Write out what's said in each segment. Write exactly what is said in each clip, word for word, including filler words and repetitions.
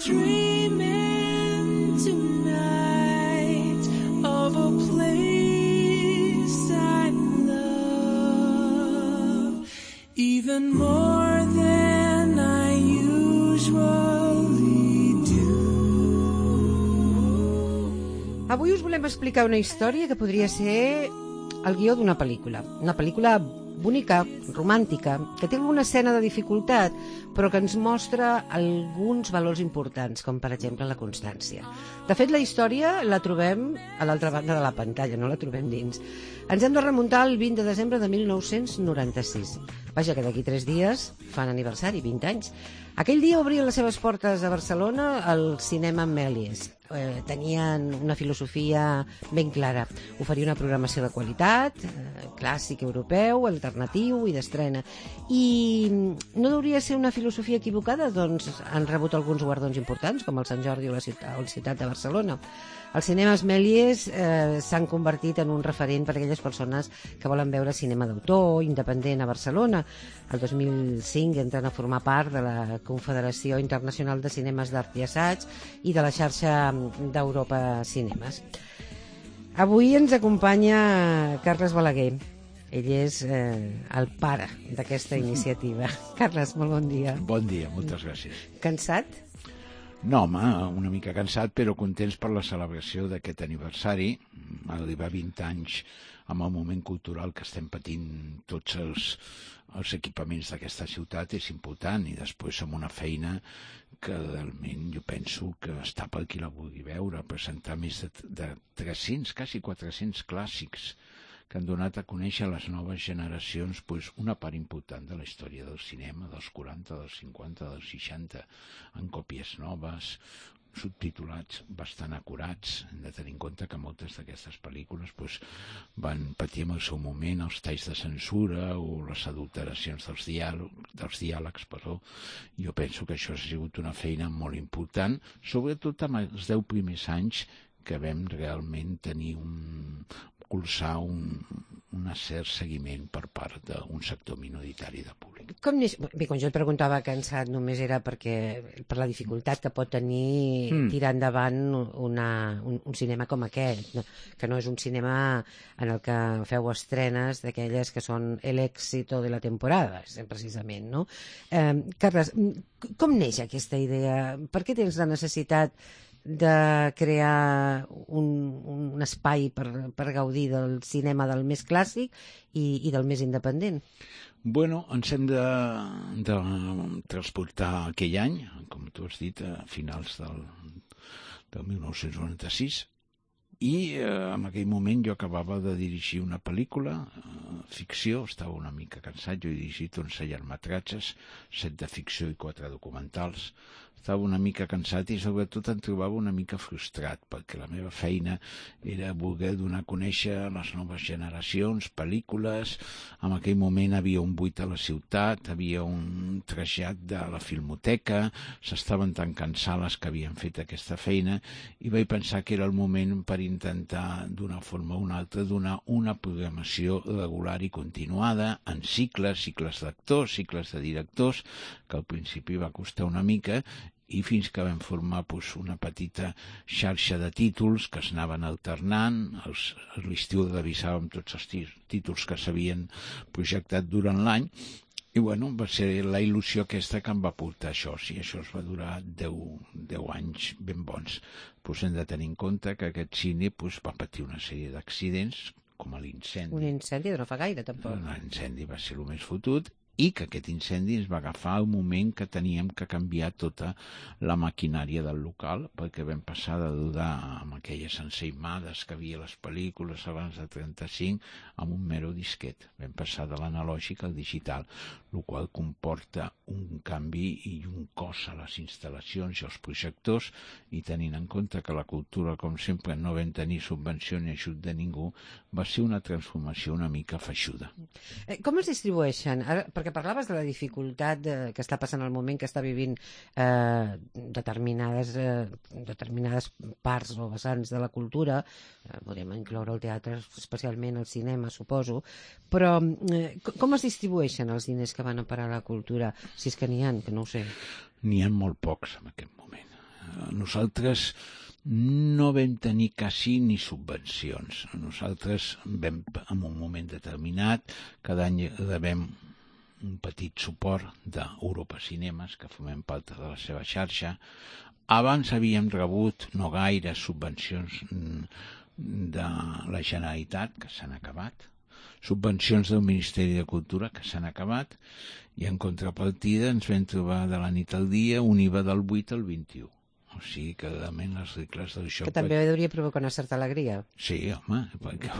dreaming tonight of a place I love even more than I usually do. Avui us volem explicar una història que podria ser el guió d'una pel·lícula. Una pel·lícula bonica, romàntica, que té alguna escena de dificultat, però que ens mostra alguns valors importants, com per exemple la constància. De fet, la història la trobem a l'altra banda de la pantalla, no la trobem dins. Ens hem de remuntar al vint de desembre de mil nou-cents noranta-sis. Vaja, que d'aquí tres dies fan aniversari, vint anys. Aquell dia obrien les seves portes a Barcelona al cinema Méliès. Eh, tenien una filosofia ben clara, oferir una programació de qualitat, eh, clàssic europeu, alternatiu i d'estrena. I no hauria de ser una filosofia equivocada, doncs han rebut alguns guardons importants, com el Sant Jordi o la ciutat, o la ciutat de Barcelona. Els cinemes Méliès eh, s'han convertit en un referent per a aquelles persones que volen veure cinema d'autor, independent a Barcelona. El dos mil cinc entren a formar part de la Confederació Internacional de Cinemes d'Art i Assaig i de la xarxa d'Europa Cinemes. Avui ens acompanya Carles Balaguer. Ell és eh, el pare d'aquesta iniciativa. Carles, molt bon dia. Bon dia, moltes gràcies. Cansat? No, home, una mica cansat, però contents per la celebració d'aquest aniversari. Arribar vint anys amb el moment cultural que estem patint tots els, els equipaments d'aquesta ciutat és important, i després amb una feina que realment jo penso que està per qui la vulgui veure, presentar més de, de tres-cents, quasi quatre-cents clàssics que han donat a conèixer a les noves generacions pues, una part important de la història del cinema, dels quaranta, dels cinquanta, dels seixanta, en còpies noves, subtitulats bastant acurats. Hem de tenir en compte que moltes d'aquestes pel·lícules pues, van patir en el seu moment els talls de censura o les adulteracions dels diàlegs, dels diàlegs perdó. Jo penso que això ha sigut una feina molt important, sobretot en els deu primers anys que vam realment tenir un colzar un, un cert seguiment per part d'un sector minoritari de públic. Com neix... Bé, quan jo et preguntava cansat només era perquè per la dificultat que pot tenir mm. tirar endavant una, un, un cinema com aquest, no? Que no és un cinema en el que feu estrenes d'aquelles que són l'èxito de la temporada, precisament, no? Eh, Carles, com neix aquesta idea? Per què tens la necessitat de crear un, un espai per, per gaudir del cinema del més clàssic i, i del més independent? Bueno, ens hem de, de transportar aquell any, com tu has dit, a finals del, del mil nou-cents noranta-sis, i eh, en aquell moment jo acabava de dirigir una pel·lícula, eh, ficció, estava una mica cansat, jo he dirigit onze llargmetratges, set de ficció i quatre documentals. Estava una mica cansat i sobretot em trobava una mica frustrat, perquè la meva feina era voler donar a conèixer les noves generacions, pel·lícules. En aquell moment havia un buit a la ciutat, havia un trasllat de la filmoteca, s'estaven tancant sales que havien fet aquesta feina, i vaig pensar que era el moment per intentar, d'una forma o una altra, donar una programació regular i continuada en cicles, cicles d'actors, cicles de directors, que al principi va costar una mica, i fins que vam formar pues, una petita xarxa de títols que es anaven alternant. Els, a l'estiu revisàvem tots els títols que s'havien projectat durant l'any, i bueno, va ser la il·lusió aquesta que em va portar això. Sí, això es va durar deu, deu anys ben bons. Pues hem de tenir en compte que aquest cine pues, va patir una sèrie d'accidents, com l'incendi. Un incendi de no fa gaire, tampoc. L'incendi va ser el més fotut, i que aquest incendi ens va agafar al moment que teníem que canviar tota la maquinària del local, perquè vam passar de dudar amb aquelles ensaïmades que havia a les pel·lícules abans de trenta-cinc amb un mero disquet. Vam passar de l'analògic al digital, el qual comporta un canvi i un cost a les instal·lacions i als projectors, i tenint en compte que la cultura, com sempre, no vam tenir subvenció ni ajut de ningú, va ser una transformació una mica feixuda. Com es distribueixen? Ara, perquè parlaves de la dificultat de, que està passant al moment, que està vivint eh, determinades, eh, determinades parts o vessants de la cultura, eh, podem incloure el teatre, especialment el cinema, suposo, però eh, com es distribueixen els diners que van a parar a la cultura? Si és que n'hi ha, que no ho sé. N'hi ha molt pocs en aquest moment. nosaltres no vam tenir quasi ni subvencions. Nosaltres vam, en un moment determinat, cada any rebem un petit suport d'Europa Cinemes, que formem part de la seva xarxa. Abans havíem rebut no gaire subvencions de la Generalitat, que s'han acabat, subvencions del Ministeri de Cultura, que s'han acabat, i en contrapartida ens vam trobar de la nit al dia un I V A del vuit al vint-i-u. O sigui que realment les regles del joc... Que també hauria provocat una certa alegria. Sí, home, perquè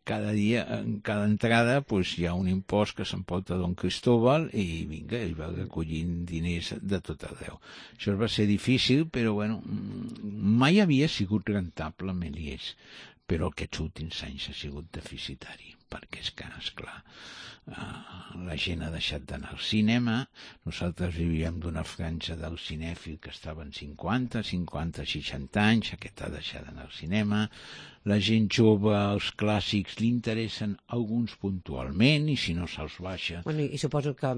cada dia, en cada entrada, pues, hi ha un impost que s'emporta Don Cristóbal i vinga, ell va recollint diners de tot arreu. Això va ser difícil, però bueno, mai havia sigut rentable Méliès, però aquests últims anys ha sigut deficitari, perquè és que, esclar, la gent ha deixat d'anar al cinema. Nosaltres vivíem d'una franja del cinèfil que estava en cinquanta, cinquanta, seixanta anys, aquest ha deixat d'anar al cinema. La gent jove, els clàssics, li interessen alguns puntualment i si no se'ls baixa... Bueno, i suposo que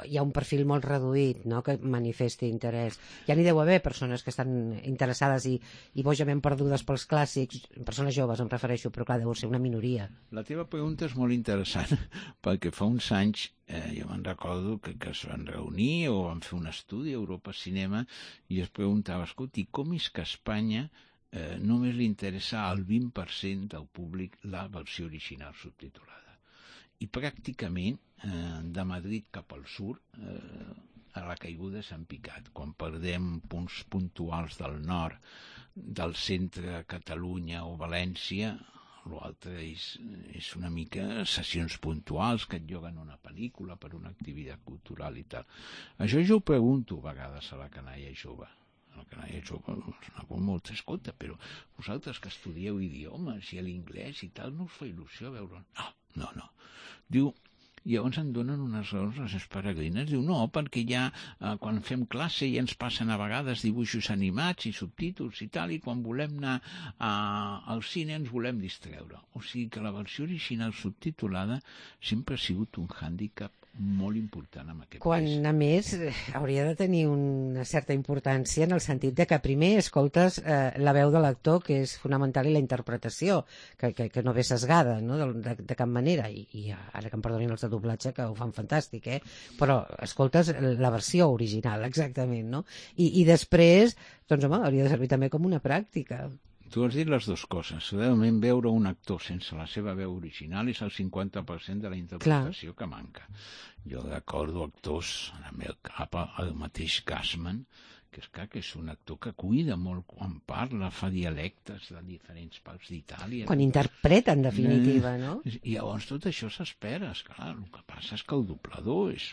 hi ha un perfil molt reduït, no?, que manifesti interès. Ja n'hi deu haver persones que estan interessades i, i bojament perdudes pels clàssics, persones joves em refereixo, però clar, deu ser una minoria. La teva pregunta és molt interessant, perquè fa uns anys eh, jo me'n recordo que, que es van reunir o van fer un estudi a Europa Cinema i es preguntava, escolti, com és que a Espanya eh, només li interessa al vint per cent del públic la versió original subtitulada? I pràcticament eh, de Madrid cap al sud eh, a la caiguda s'han picat. Quan perdem punts puntuals del nord, del centre, Catalunya o València, l'altre és, és una mica sessions puntuals que et lloguen una pel·lícula per una activitat cultural i tal. Això jo ho pregunto a vegades a la canalla jove. A la canalla jove és una cosa molt escolta, però vosaltres que estudieu idiomes i l'inglès i tal, no us fa il·lusió veure... No, no, no. Diu, llavors en donen unes raons les peregrines. Diu, no, perquè ja eh, quan fem classe ja ens passen a vegades dibuixos animats i subtítols i tal, i quan volem anar a, al cine ens volem distreure. O sigui que la versió original subtitulada sempre ha sigut un hàndicap molt important en aquest Quan, país. a més, hauria de tenir una certa importància en el sentit de que primer escoltes eh, la veu de l'actor, que és fonamental, i la interpretació, que, que, que no ve sesgada, no?, de, de, de cap manera, I, i ara que em perdonin els de doblatge, que ho fan fantàstic, eh? Però escoltes la versió original, exactament, no? I, i després, doncs home, hauria de servir també com una pràctica. Tu has dit les dues coses. Realment veure un actor sense la seva veu original és el cinquanta per cent de la interpretació Clar. que manca. Jo recordo actors, en el meu cap, el mateix Gassman, que és clar que és un actor que cuida molt quan parla, fa dialectes de diferents parts d'Itàlia. Quan interpreta, en definitiva, no? I llavors tot això s'espera, esclar. El que passa és que el doblador és...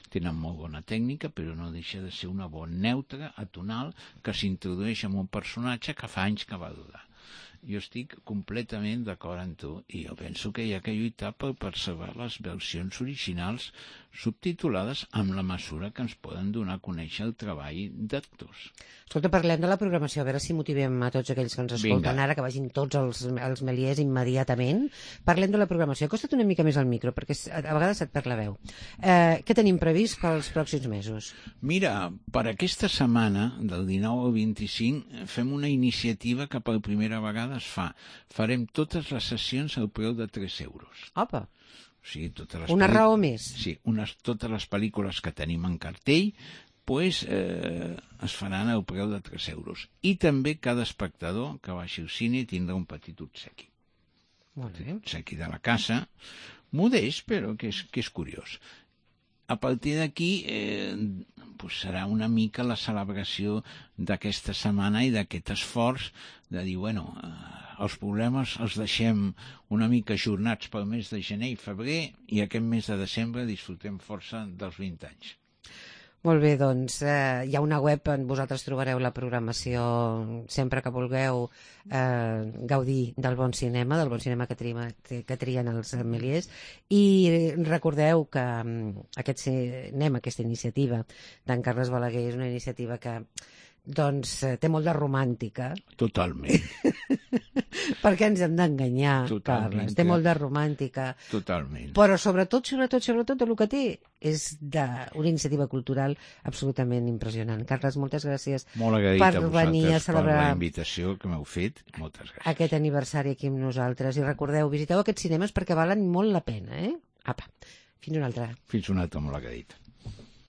tenen molt bona tècnica, però no deixa de ser una bona neutra, atonal, que s'introdueix en un personatge que fa anys que va durar. Jo estic completament d'acord amb tu i jo penso que hi ha que lluitar per preservar les versions originals subtitulades amb la mesura que ens poden donar a conèixer el treball d'actors. Escolta, parlem de la programació, a veure si motivem a tots aquells que ens escolten Vinga. ara, que vagin tots els, els Méliès immediatament. Parlem de la programació. Acosta't una mica més al micro, perquè a vegades et perd la veu. Eh, què tenim previst pels pròxims mesos? Mira, per aquesta setmana, del dinou al vint-i-cinc, fem una iniciativa que per primera vegada es fa. Farem totes les sessions al preu de tres euros. Opa! O sigui, totes les Una pel·li- raó més. Sí, unes, totes les pel·lícules que tenim en cartell pues, eh, es faran al preu de tres euros. I també cada espectador que vagi al cine tindrà un petit obsequi. Molt bé. Obsequi de la casa, modest, però que és, que és curiós. A partir d'aquí eh, pues serà una mica la celebració d'aquesta setmana i d'aquest esforç de dir, bueno, eh, els problemes els deixem una mica ajornats pel mes de gener i febrer i aquest mes de desembre disfrutem força dels vint anys. Molt bé, doncs eh, hi ha una web on vosaltres trobareu la programació sempre que vulgueu eh, gaudir del bon cinema, del bon cinema que, trima, que trien els Méliès, i recordeu que um, aquest cinema, aquesta iniciativa d'en Carles Balaguer és una iniciativa que doncs té molt de romàntica. Totalment. Perquè ens hem d'enganyar, Totalment. Carles. Té molt de romàntica. Totalment. Però sobretot, sobretot, sobretot, el que té és d'una iniciativa cultural absolutament impressionant. Carles, moltes gràcies Molt agraït per a venir a vosaltres per celebrar la invitació que m'heu fet. Moltes gràcies. aquest aniversari aquí amb nosaltres. I recordeu, visiteu aquests cinemes perquè valen molt la pena, eh? Apa, fins una altra. Fins una altra, molt agraït.